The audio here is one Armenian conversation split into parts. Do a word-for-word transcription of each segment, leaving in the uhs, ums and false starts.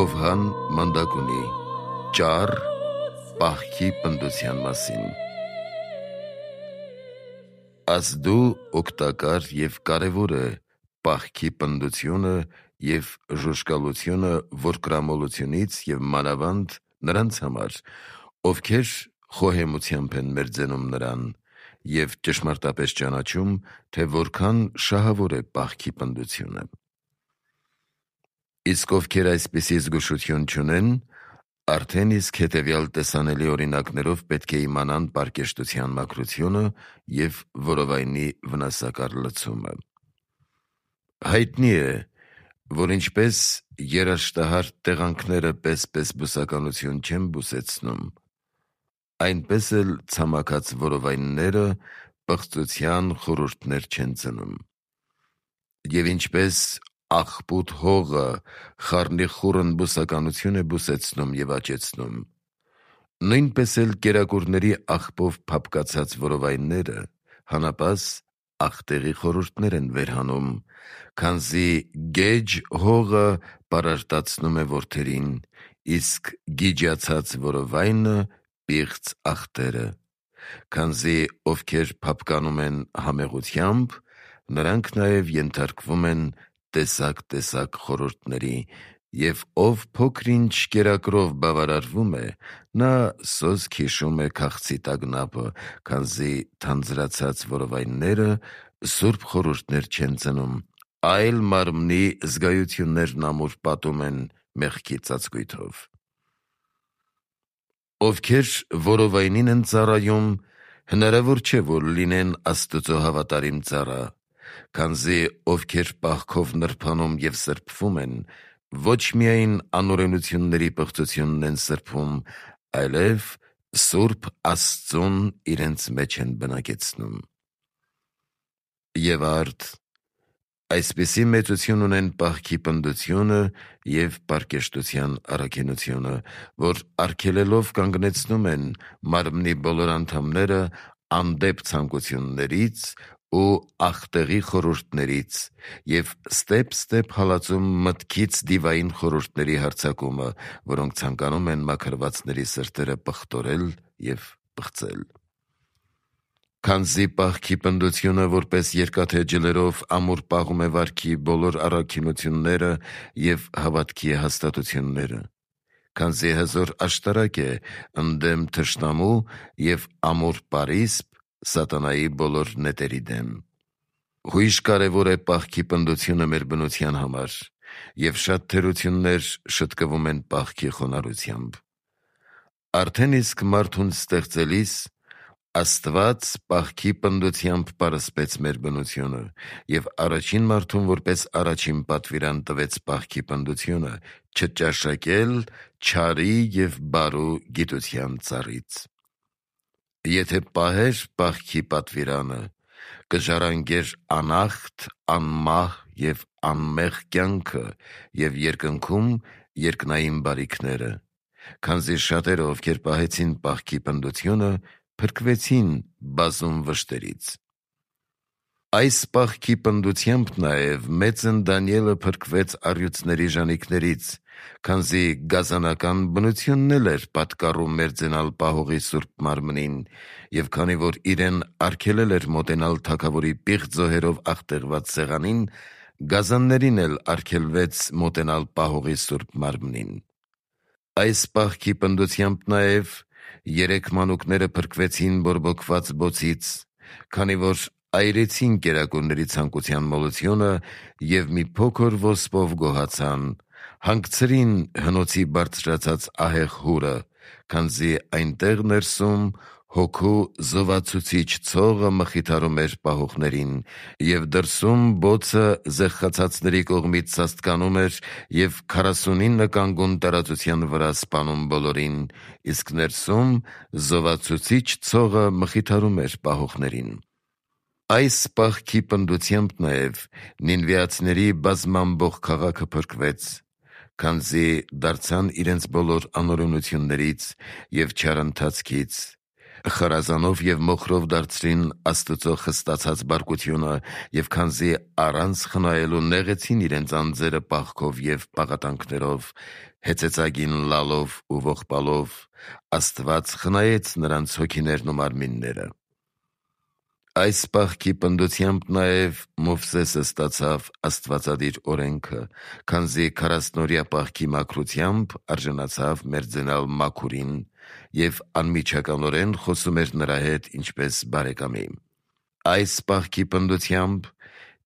Հովհան Մանդակունի ճառ պահքի պնդության մասին։ Ազդու օգտակար և կարևոր է պահքի պնդությունը և ժուժկալությունը որկրամոլությունից և մանավանդ նրանց համար, ովքեր խոհեմությամբ են մերձենում նրան և ճշմարտապես ճանաչում, թե որքան շահավոր է պահքի պնդությունը։ Իսկ ովքեր այսպիսի զգուշություն չունեն, արդեն իսկ հետևյալ տեսանելի օրինակներով պետք է իմանան պարկեշտության մաքրությունը և որովայնի վնասակար լցումը։ Հայտնի է, որ ինչպես երաշտահար տեղանքները պես-պես բուսականություն չեն բուսեցնում, այնպես էլ ցամաքած որովայնները պղծության խորհուրդներ չեն ծնում։ Եվ ինչպես աղբուտ հողը խառնիխուռն բուսականություն է բուսեցնում և աճեցնում, նույնպես էլ կերակուրների աղբով փափկացած որովայնները հանապաս աղտեղի խորհուրդներ են վերհանում, քանզի գեջ հողը պարարտացնում է որդերին, իսկ գիջացած որովայնը պիղծ աղտերը, քանզի ովքեր փափկանում են համեղությամբ, նրանք նաև ենթարկվում են տեսակ-տեսակ խորհուրդների, և ով փոքր-ինչ կերակրով բավարարվում է, նա սոսկ հիշում է քաղցի տագնապը, քանզի թանձրացած որովայնները սուրբ խորհուրդներ չեն ծնում, այլ մարմնի զգայություններն ամուր պատում են մեղքի ծածկույթով։ Ովքեր որովայնին են ծառայում, հնարավոր չէ, որ լինեն Աստծո հավատարիմ ծառա, քանզի ովքեր պահքով նրբանում և սրբվում են, ոչ միայն անօրենությունների պղծությունն են սրբում, այլև Սուրբ Աստծուն իրենց մեջ են բնակեցնում։ Եվ արդ, այսպիսի մեծություն ունեն պահքի պնդությունը և պարկեշտության առաքինությունը, որ արգելելով կանգնեցնում են մարմնի բոլոր անդամները անդեպ ցանկություններից ու աղտեղի խորհուրդներից և ստեպ-ստեպ հալածում մտքից դիվային խորհուրդների հարձակումը, որոնք ցանկանում են մաքրվածների սրտերը պղտորել և պղծել։ Քանզի պահքի պնդությունը որպես երկաթե ջլերով ամուր պահում է վարքի բոլոր առաքինությունները և հավատքի հաստատությունները, քանզի հզոր աշտարակ է ընդդեմ թշնամու և ամուր պարիսպ սատանայի բոլոր նետերի դեմ։ Հույժ կարևոր է պահքի պնդությունը մեր բնության համար, և շատ թերություններ շտկվում են պահքի խոնարհությամբ։ Արդեն իսկ մարդուն ստեղծելիս Աստված պահքի պնդությամբ պարսպեց մեր բնությունը և առաջին մարդուն որպես առաջին պատվիրան տվեց պահքի պնդությունը՝ չճաշակել չարի և բարու գիտության ծառից։ Եթե պահեր պահքի պատվիրանը, կժառանգեր անախտ, անմահ և անմեղ կյանքը և երկնքում երկնային բարիքները, քանզի շատերը, ովքեր պահեցին պահքի պնդությունը, փրկվեցին բազում վշտերից։ Այս պահքի պնդությամբ նաև մեծն Դանիելը փրկվեց առյուծների ժանիքներից, քանզի գազանական բնությունն էլ էր պատկառում մերձենալ պահողի սուրբ մարմնին, և քանի որ իրեն արգելել էր մոտենալ թագավորի պիղծ զոհերով աղտեղված սեղանին, գազաններին էլ արգելվեց մոտենալ պահողի սուրբ մարմնին։ Այս պահքի պնդությամբ նաև երեք մանուկները փրկվեցին բորբոքված բոցից, քանի որ այրեցին կերակուրների ցանկության մոլությունը և մի փոքր ոսպով գոհացան, հանգցրին հնոցի բարձրացած ահեղ հուրը, քանզի այնտեղ ներսում Հոգու զովացուցիչ ցողը մխիթարում էր պահողներին, և դրսում բոցը զեղխացածների կողմից սաստկանում էր և քառասունինը կանգուն տարածության վրա սպանում բոլորին, իսկ ներսում զովացուցիչ ցողը մխիթարում էր պահողներին։ Այս պահքի պնդությամբ նաև նինվեացիների բազմամբող քաղաքը փրկվեց, քանզի դարձան իրենց բոլոր անօրենություններից և չար ընթացքից, Խարազանով եւ մոխրով դարձրին Աստծո խստացած բարկությունը եւ քանզի առանց խնայելու նեղեցին իրենց անձերը պաղքով եւ պաղատանքներով, հեծեծագին լալով ու ողբալով, Աստված խնայեց նրանց հոգիներն ու մարմինները։ Այս պահքի պնդությամբ նաև Մովսեսը ստացավ աստվածադիր օրենքը, քանզի քառասնօրյա պահքի մաքրությամբ արժանացավ մերձենալ մաքուրին եւ անմիջականորեն խոսում էր նրա հետ ինչպես բարեկամի։ Այս պահքի պնդությամբ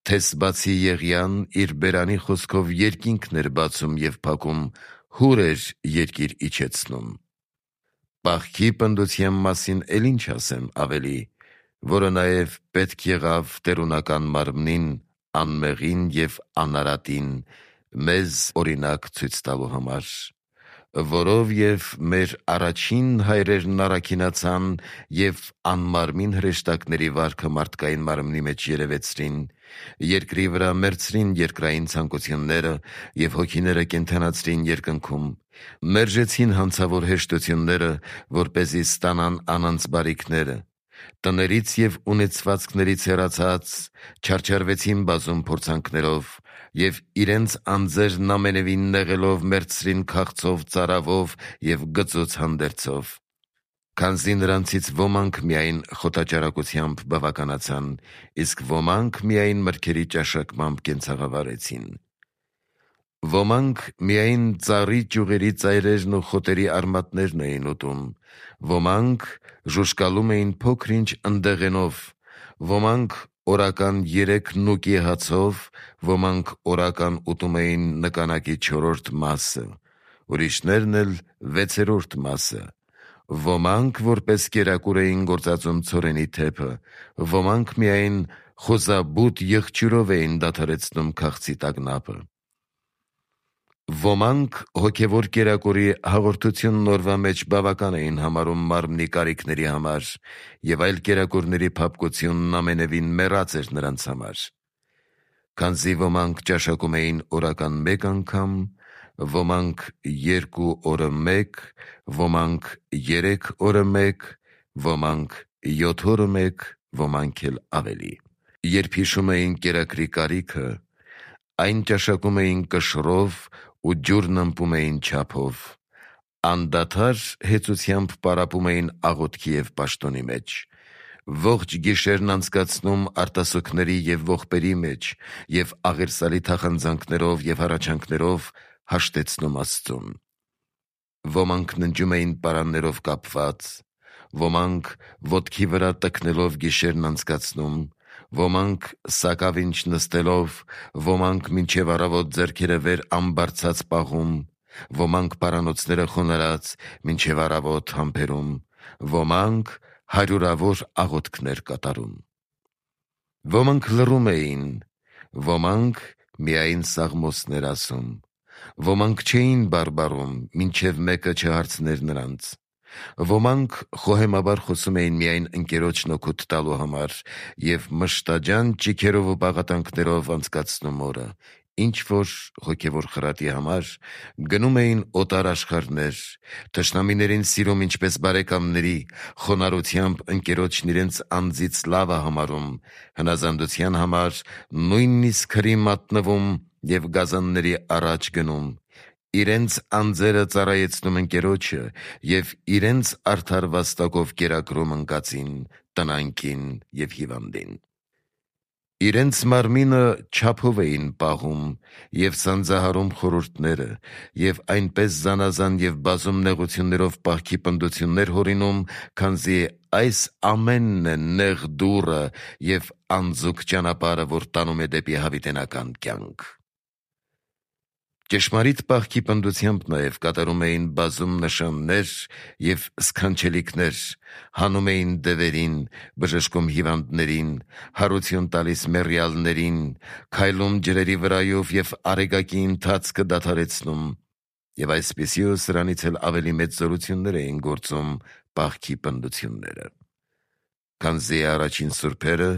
Թեսբացի Եղիան իր բերանի խոսքով երկինքն էր բացում եւ փակում, հուր էր երկիր իջեցնում։ Պահքի պնդության մասին էլ ինչ ասեմ ավելի, որը նաև պետք եղավ տերունական մարմնին, անմեղին և անարատին մեզ օրինակ ցույց տալու համար, որով և մեր առաջին հայրերն առաքինացան և անմարմին հրեշտակների վարքը մարդկային մարմնի մեջ երևեցրին, երկրի վրա մերձրին երկրային ցանկությունները և հոգիները կենդանացրին երկնքում, մերժեցին հանցավոր հեշտությունները, որպեսզի ստանան անոնց բարիքները, տներից և ունեցվածքներից հեռացած չարչարվեցին բազում փորձանքներով և իրենց անձերն ամենևին նեղելով մերձրին քաղցով, ծարավով և գծուց հանդերձով։ Քանզի նրանցից ոմանք միայն խոտաճարակությամբ բավականացան, իսկ ոմանք միայն մրգերի ճաշակմամբ կենցաղավարեցին։ Ոմանք միայն ծառի ճյուղերի ծայրերն ու խոտերի արմատներն էին ուտում, ոմանք ժուժկալում էին փոքր-ինչ ընդեղենով, ոմանք օրական երեք նուկի հացով, ոմանք օրական ուտում էին նկանակի չորրորդ մասը, ուրիշներն էլ վեցերորդ մասը, ոմանք որպես կերակուր էին գործածում ցորենի թեփը, ոմանք միայն խոզաբութ եղջյուրով էին դադարեցնում քաղցի տագնապը։ Ոմանք հոգևոր կերակուրի հաղորդությունն օրվա մեջ բավական էին համարում մարմնի կարիքների համար, և այլ կերակուրների փափկությունն ամենևին մեռած էր նրանց համար։ Քանզի ոմանք ճաշակում էին օրական մեկ անգամ, ոմանք երկու օրը մեկ, ոմանք երեք օրը մեկ, ոմանք յոթ օրը մեկ, ոմանք էլ ավելի։ Երբ հիշում էին կերակրի կարիքը, այն ճաշակում էին կշռով ու ջուրն ըմպում էին չափով, անդադար հեծությամբ պարապում էին աղոթքի և պաշտոնի մեջ, ողջ գիշերն անցկացնում արտասուքների և ողբերի մեջ և աղերսալի թախանձանքներով և հառաչանքներով հաշտեցնում Աստծուն։ Ոմանք ննջում էին պարաններով կապված, ոմանք ոտքի վրա տքնելով գիշերն անցկացնում, ոմանք սակավինչ նստելով, ոմանք մինչև առավոտ ձեռքերը վեր ամբարձած պահում, ոմանք պարանոցները խոնարհած մինչև առավոտ համբերում, ոմանք հարյուրավոր աղոթքներ կատարում։ Ոմանք լռում էին, ոմանք միայն սաղմոսներ ասում, ոմանք չէին բարբառում, մինչև մեկը չհարցներ նրանց, ոմանք խոհեմաբար խոսում էին միայն ընկերոջն օգուտ տալու համար և մշտաջան ճիգերով ու պաղատանքներով անցկացնում օրը, ինչ-որ հոգևոր խրատի համար գնում էին օտար աշխարհներ, թշնամիներին սիրում ինչպես բարեկամների, խոնարհությամբ ընկերոջն իրենց անձից լավը համարում, հնազանդության համար նույնիսկ հրի մատնվում և գազանների առաջ գնում, իրենց անձերը ծառայեցնում ընկերոջը և իրենց արդար վաստակով կերակրում ընկածին, տնանկին և հիվանդին։ Իրենց մարմինը չափով էին պահում և սանձահարում խորհուրդները և այնպես զանազան և բազում նեղություններով պահքի պնդություններ հորինում, քանզի այս ամենն է նեղ դուռը և անձուկ ճանապարհը, որ տանում է դեպի հավիտենական կյանք։ Ճշմարիտ պահքի պնդությամբ նաև կատարում էին բազում նշաններ և սքանչելիքներ, հանում էին դևերին, բժշկում հիվանդներին, հարություն տալիս մեռյալներին, քայլում ջրերի վրայով և արեգակի ընթացքը դադարեցնում, և այսպիսի ու սրանից էլ ավելի մեծ զորություններ էին գործում պահքի պնդությունները։ Քանզի առաջին սուրբերը,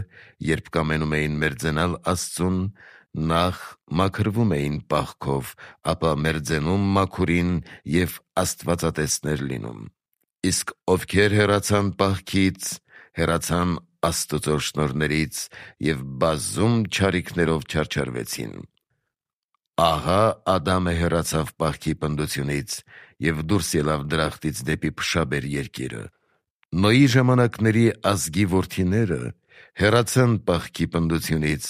երբ կամենում էին մերձենալ Աստծուն, նախ մաքրվում էին պահքով, ապա մերձենում մաքուրին և աստվածատեսներ լինում։ Իսկ ովքեր հեռացան պահքից, հեռացան Աստծո շնորհներից և բազում չարիքներով չարչարվեցին։ Ահա Ադամը հեռացավ պահքի պնդությունից և դուրս ելավ դրախտից դեպի փշաբեր երկիրը։ Նոյի ժամանակների ազգի որդիները հեռացան պահքի պնդությունից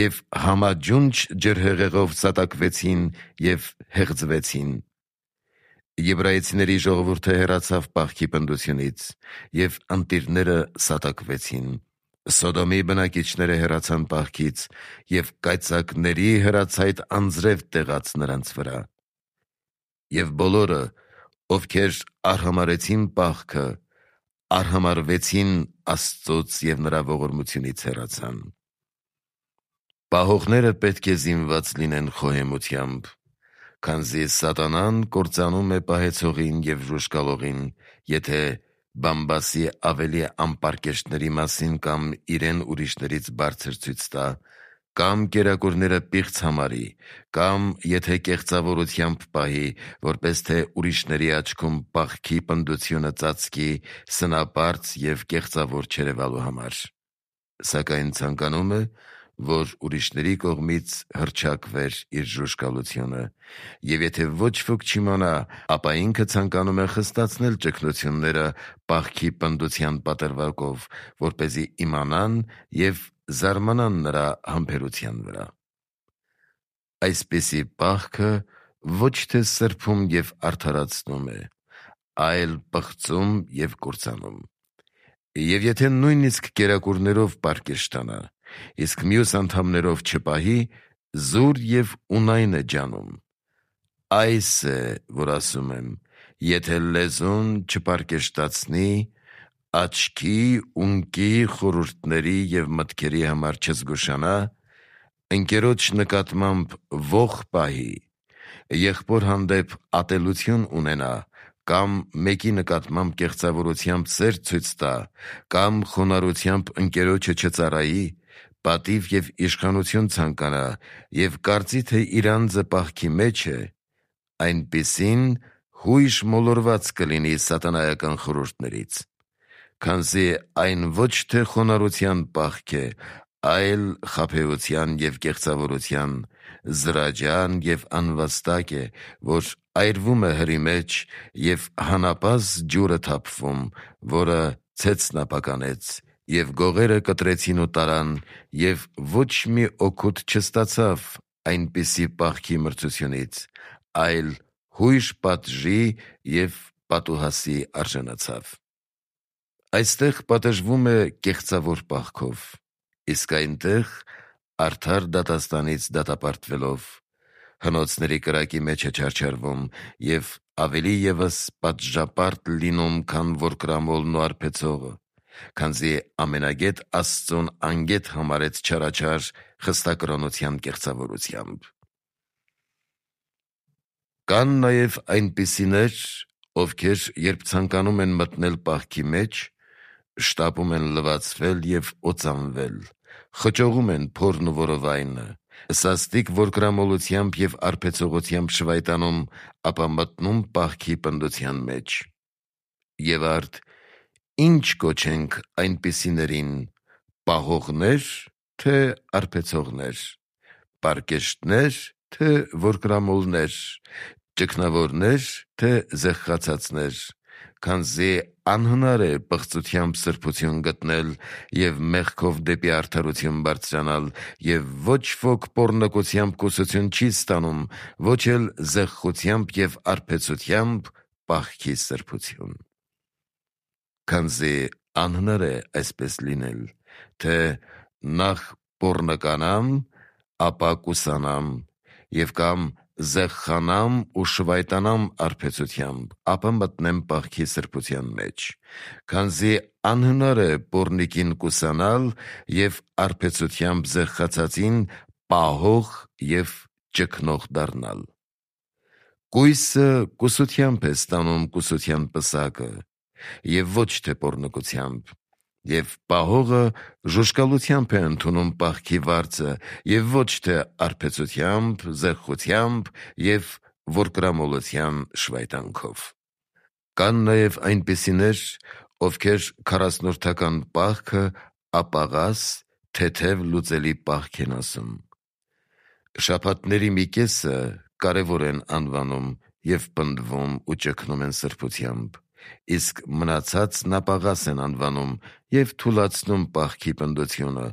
և համաջունչ ջրհեղեղով սատակվեցին և հեղձվեցին։ Եբրայեցիների ժողովուրդը հեռացավ պահքի պնդությունից, և ընտիրները սատակվեցին։ Սոդոմի բնակիչները հեռացան պահքից, և կայծակների հրացայտ անձրև տեղաց նրանց վրա։ Եվ բոլորը, ովքեր արհամարհեցին պահքը, արհամարհվեցին Աստծուց և նրա ողորմությունից հեռացան։ Պահողները պետք է զինված լինեն խոհեմությամբ, քանզի սատանան կործանում է պահեցողին և ժուժկալողին, եթե բամբասի ավելի անպարկեշտների մասին կամ իրեն ուրիշներից բարձր ցույց տա, կամ կերակուրները պիղծ համարի, կամ եթե կեղծավորությամբ պահի, որպես թե ուրիշների աչքում պահքի պնդությունը ծածկի սնապարծ և կեղծավոր չերևալու համար, սակայն ցանկանում է, որ ուրիշների կողմից հռչակվեր իր ժուժկալությունը, և եթե ոչ ոք չիմանա, ապա ինքը ցանկանում է խստացնել ճգնությունները պահքի պնդության պատրվակով, որպեսզի իմանան և զարմանան նրա համբերության վրա։ Այսպիսի պահքը ոչ թե սրբում և արդարացնում է, այլ պղծում և կործանում։ Եվ եթե նույնիսկ կերակուրներով պարկեշտանա, իսկ մյուս անդամներով չպահի, զուր և ունայն է ջանում։ Այս է, որ ասում եմ. եթե լեզուն չպարկեշտացնի, աչքի, ունկի, խորհուրդների և մտքերի համար չզգուշանա, ընկերոջ նկատմամբ ոխ պահի, եղբոր հանդեպ ատելություն ունենա, կամ մեկի նկատմամբ կեղծավորությամբ սեր ցույց տա, կամ խոնարհությամբ ընկերոջը չծառայի, պատիվ և իշխանություն ցանկանա և կարծի, թե իր անձը պահքի մեջ է, այնպիսին հույժ մոլորված կլինի սատանայական խորհուրդներից։ Քանզի այն ոչ թե խոնարհության պահք է, այլ խաբեության և կեղծավորության, զրաջան և անվաստակ է, որ այրվում է հրի մեջ, և հանապազը ջուրը թափվում, որը ցեցն ապականեց, և գողերը կտրեցին ու տարան, և ոչ մի օգուտ չստացավ այնպիսի պահքի մրցությունից, այլ հույժ պատժի և պատուհասի արժանացավ։ Այստեղ պատժվում է կեղծավոր պահքով, իսկ այնտեղ արդար դատաստանից դատապարտվելով հնոցների կրակի մեջ է չարչարվում և ավելի ևս պատժապարտ լինում, քան որ կրամոլն ու արբեցողը, քանզի ամենագետ Աստծուն անգետ համարեց չարաչար խստակրոնության կեղծավորությամբ։ Կան նաև այնպիսիներ, ովքեր երբ ցանկանում են մտնել պահքի մեջ, շտապում են լվացվել և օծանվել, խճողում են փորն ու որովայնը, սաստիկ որկրամոլությամբ և արբեցողությամբ շվայտանում, ապա մտնում պահքի պնդության մեջ։ Եվ արդ ի՞նչ կոչենք այնպիսիներին. պահողնե՞ր, թե արբեցողնե՞ր, պարկեշտնե՞ր, թե որկրամոլնե՞ր, ճգնավորնե՞ր, թե զեղխացածնե՞ր, քանզի անհնար է պղծությամբ սրբություն գտնել և մեղքով դեպի արդարություն բարձրանալ, և ոչ ոք պոռնկությամբ կուսություն չի ստանում, ոչ էլ զեղխությամբ և արբեցությամբ պահքի սրբություն։ Քանզի անհնար է այսպես լինել, թե նախ պոռնկանամ, ապա կուսանամ, և կամ զեղխանամ ու շվայտանամ արբեցությամբ, ապա մտնեմ պահքի սրբության մեջ, քանզի անհնար է պոռնիկին կուսանալ և արբեցությամբ զեղխացածին պահող և ճգնող դառնալ։ Կույսը կուսությամբ է ստանում կուսության պսակը, և ոչ թե պոռնկությամբ, և պահողը ժուժկալությամբ է ընդունում պահքի վարձը, և ոչ թե արբեցությամբ, զեղխությամբ և որկրամոլության շվայտանքով։ Կան նաև այնպիսիներ, ովքեր քառասնորդական պահքը ապաղաս, թեթև լուծելի պահք են ասում։ Շաբաթների մի կեսը կարևոր են անվանում և պնդվում ու ճգնում են սրբությամբ, իսկ մնացածն ապաղաս են անվանում և թուլացնում պահքի պնդությունը,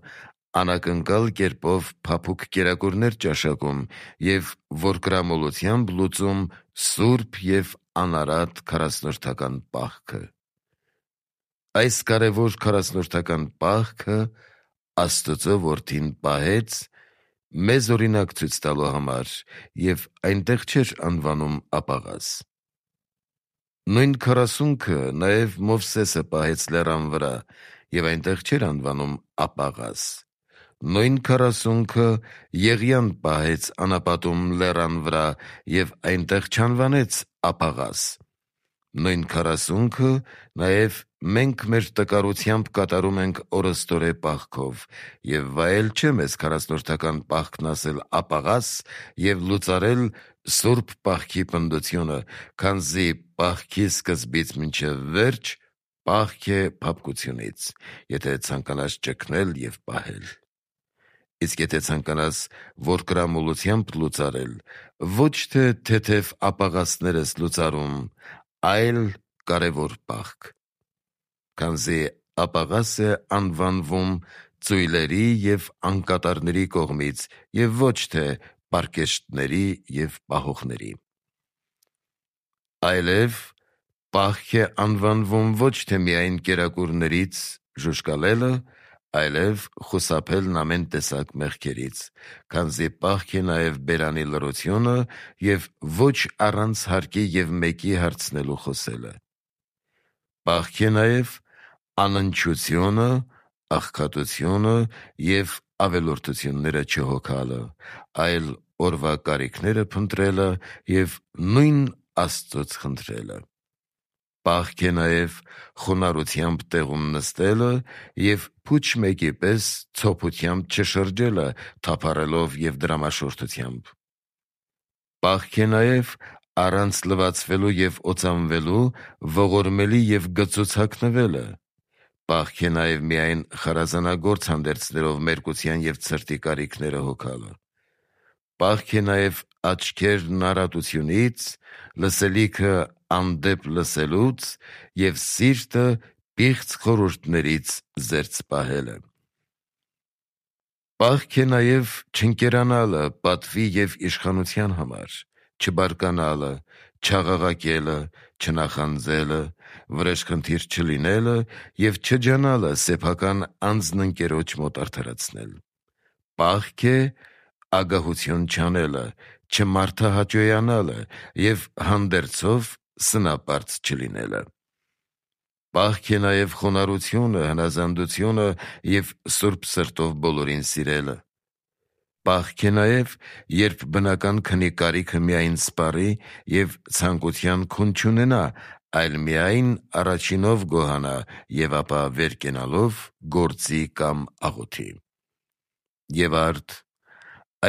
անակնկալ կերպով փափուկ կերակուրներ ճաշակում և որկրամոլությամբ լուծում սուրբ և անարատ քառասնորդական պահքը։ Այս կարևոր քառասնորդական պահքը Աստծո Որդին պահեց մեզ օրինակ ցույց տալու համար և այնտեղ չէր անվանում ապաղաս։ Նույն քառասունքը նաև Մովսեսը պահեց լեռան վրա և այնտեղ չէր անվանում ապաղաս։ Նույն քառասունքը Եղիան պահեց անապատում լեռան վրա և այնտեղ չանվանեց ապաղաս։ Նույն քառասունքը նաև մենք մեր տկարությամբ կատարում ենք օրըստօրե պահքով և վայել չէ մեզ քառասնորդական պահքն ասել ապաղաս և լուծարել սուրբ պահքի պնդությունը, քանզի պահքի սկզբից մինչև վերջ պահք է փափկությունից, եթե ցանկանաս ճգնել և պահել։ Իսկ եթե ցանկանաս որկրամոլությամբ լուծարել, ոչ թե թեթև ապաղասներ ես լուծարում, այլ կարևոր պահք, քանզի ապաղաս է անվանվում ծույլերի և անկատարների կողմից և ոչ թե պարկեշտների և պահողների։ Այլև պահք է անվանվում ոչ թե միայն կերակուրներից ժուժկալելը, այլև խուսափելն ամեն տեսակ մեղքերից, քանզի պահք է նաև բերանի լռությունը և ոչ առանց հարկի և մեկի հարցնելու խոսելը։ Պահք է նաև անընչությունը, աղքատությունը և ավելորդությունները չհոգալը, այլ օրվա կարիքները փնտրելը և նույն Աստծուց խնդրելը։ Պահք է նաև խոնարհությամբ տեղում նստելը և փուչ մեկի պես ցոփությամբ չշրջելը թափառելով և դրամաշորթությամբ։ Պահք է նաև առանց լվացվելու և օծանվելու ողորմելի և գծուց հագնվելը։ Պահք է նաև միայն խարազանագործ հանդերձներով մերկության և ցրտի կարիքները հոգալը։ Պահք է նաև աչքերն առատությունից, լսելիքը անդեպ լսելուց և սիրտը պիղծ խորհուրդներից զերծ պահելը։ Պահք է նաև չընկերանալը պատվի և իշխանության համար, չբարկանալը, չաղաղակելը, չնախանձելը, վրեժխնդիր չլինելը և չջանալը սեփական անձն ընկերոջ մոտ արդարացնել։ Պահք է ագահություն չանելը, չմարդահաճոյանալը և հանդերձով սնապարծ չլինելը։ Պահք է նաև խոնարհությունը, հնազանդությունը և սուրբ սրտով բոլորին սիրելը։ Պահք է նաև, երբ բնական քնի կարիքը միայն սպառի և ցանկության քուն չունենա, այլ միայն առաջինով գոհանա և ապա վեր կենալով գործի կամ աղոթի։ Եվ արդ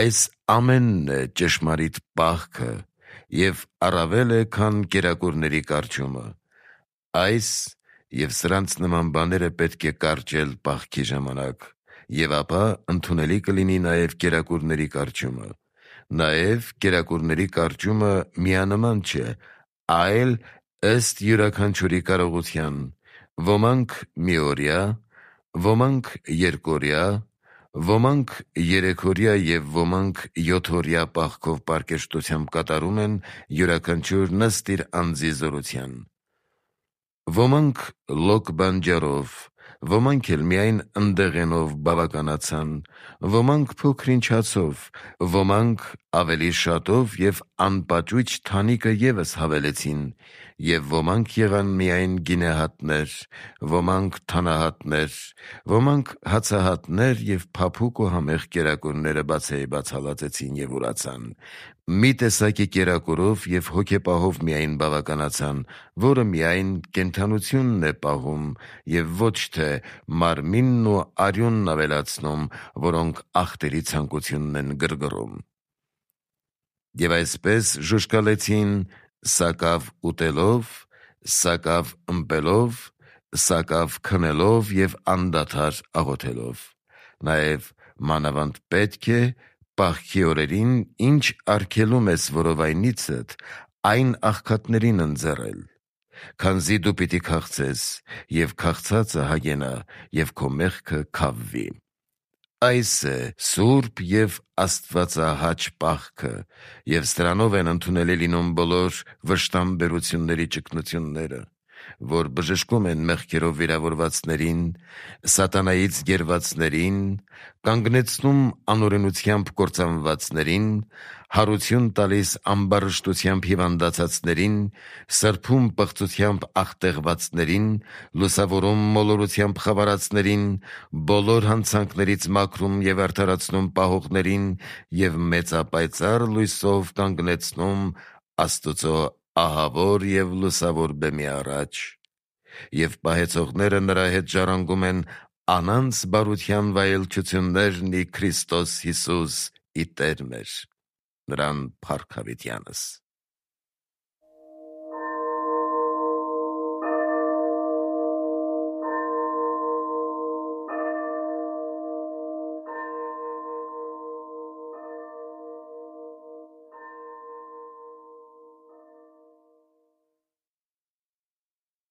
այս ամենն է ճշմարիտ պահքը և առավել է, քան կերակուրների կարճումը։ Այս և սրանց նման բաները պետք է կարճել պահքի ժամանակ, և ապա ընդունելի կլինի նաև կերակուրների կարճումը։ Նաև կերակուրների կարճումը միանման չէ, այլ ըստ յուրաքանչյուրի կարողության. ոմանք միօրյա, ոմանք երկօրյա, ոմանք երեքօրյա և ոմանք յոթօրյա պահքով պարկեշտությամբ կատարում են յուրաքանչյուր ըստ իր անձի զորության։ Ոմանք լոկ բանջարով, ոմանք էլ միայն ընդեղենով բավականացան, ոմանք փոքր-ինչ հացով, ոմանք ավելի շատով և անպաճույճ թանիկը ևս հավելեցին, և ոմանք եղան միայն գինեհատներ, ոմանք թանահատներ, ոմանք հացահատներ և փափուկ ու համեղ կերակուրները բացեիբաց հալածեցին և ուրացան։ Մի տեսակի կերակուրով և հոգեպահով միայն բավականացան, որը միայն կենդանությունն է պահում և ոչ թե մարմինն ու արյունն ավելացնում, որոնք ախտերի ցանկությունն են գրգռում։ Եվ այսպես ժուժկալեցին սակավ ուտելով, սակավ ըմպելով, սակավ քնելով և անդադար աղոթելով։ Նաև մանավանդ պետք է պահքի օրերին, ինչ արգելում ես որովայնիցդ, այն աղքատներին ընձեռել, քանզի դու պիտի քաղցես, և քաղցածը հագենա, և քո մեղքը քավվի։ Այս է սուրբ և աստվածահաճ պահքը, և սրանով են ընդունելի լինում բոլոր վշտամբերությունների ճգնությունները, որ բժշկում են մեղքերով վիրավորվածներին, սատանայից գերվածներին, կանգնեցնում անօրենությամբ կործանվածներին, հարություն տալիս ամբարշտությամբ հիվանդացածներին, սրբում պղծությամբ աղտեղվածներին, լուսավորում մոլորությամբ խավարածներին, բոլոր հանցանքներից մաքրում և արդարացնում պահողներին և մեծապայծառ լույսով կանգնեցնում Աստծո ահավոր և լուսավոր բեմի առաջ։ Եվ պահեցողները նրա հետ ժառանգում են անանց բարության վայելչություններն ի Քրիստոս Հիսուս ի Տեր մեր։ Նրան փառք հավիտյանս։